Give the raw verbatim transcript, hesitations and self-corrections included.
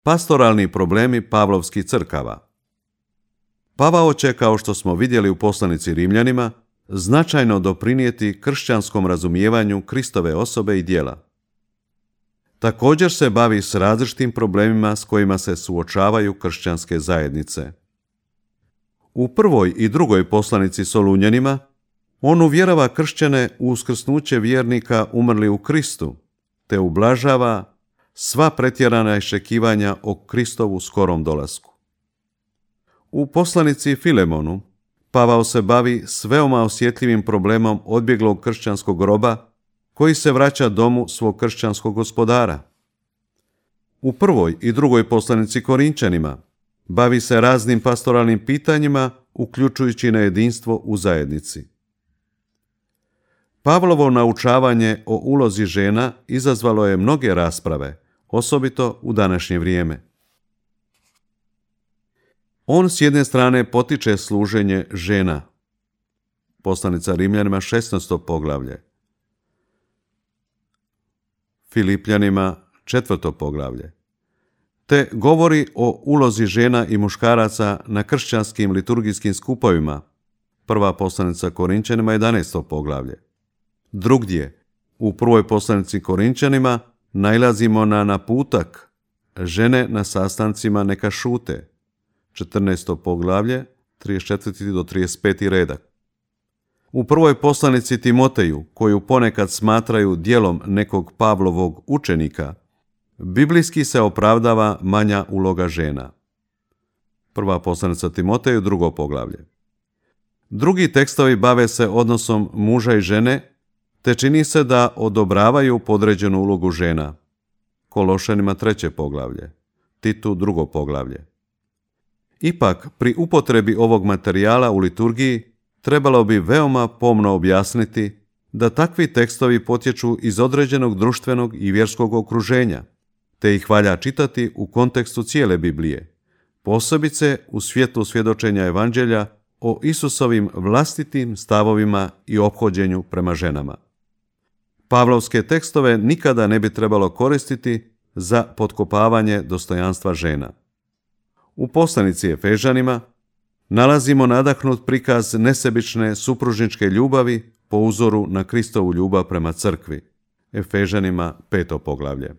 Pastoralni problemi Pavlovskih crkava. Pavao će, kao što smo vidjeli u poslanici Rimljanima, značajno doprinijeti kršćanskom razumijevanju Kristove osobe i djela. Također se bavi s različitim problemima s kojima se suočavaju kršćanske zajednice. U prvoj i drugoj poslanici Solunjanima on uvjerava kršćane u uskrsnuće vjernika umrli u Kristu, te ublažava sva pretjerana iščekivanja o Kristovu skorom dolasku. U poslanici Filemonu Pavao se bavi s veoma osjetljivim problemom odbjeglog kršćanskog roba koji se vraća domu svog kršćanskog gospodara. U prvoj i drugoj poslanici Korinčanima bavi se raznim pastoralnim pitanjima, uključujući na jedinstvo u zajednici. Pavlovo naučavanje o ulozi žena izazvalo je mnoge rasprave, osobito u današnje vrijeme. On s jedne strane potiče služenje žena. Poslanica Rimljanima šesnaesto poglavlje. Filipljanima četvrto poglavlje. Te govori o ulozi žena i muškaraca na kršćanskim liturgijskim skupovima. Prva poslanica Korinčanima jedanaesto poglavlje. Drugdje, u prvoj poslanici Korinčanima nailazimo na naputak žene na sastancima neka šute. četrnaesto poglavlje, trideset četvrti do trideset peti redak. U prvoj poslanici Timoteju, koju ponekad smatraju djelom nekog Pavlovog učenika, biblijski se opravdava manja uloga žena. Prva poslanica Timoteju, drugo poglavlje. Drugi tekstovi bave se odnosom muža i žene, te čini se da odobravaju podređenu ulogu žena. Kološanima treće poglavlje, Titu drugo poglavlje. Ipak, pri upotrebi ovog materijala u liturgiji trebalo bi veoma pomno objasniti da takvi tekstovi potječu iz određenog društvenog i vjerskog okruženja, te ih valja čitati u kontekstu cijele Biblije, posebice u svjetlu svjedočenja Evanđelja o Isusovim vlastitim stavovima i ophođenju prema ženama. Pavlovske tekstove nikada ne bi trebalo koristiti za potkopavanje dostojanstva žena. U poslanici Efežanima nalazimo nadahnut prikaz nesebične supružničke ljubavi po uzoru na Kristovu ljubav prema crkvi. Efežanima peto poglavlje.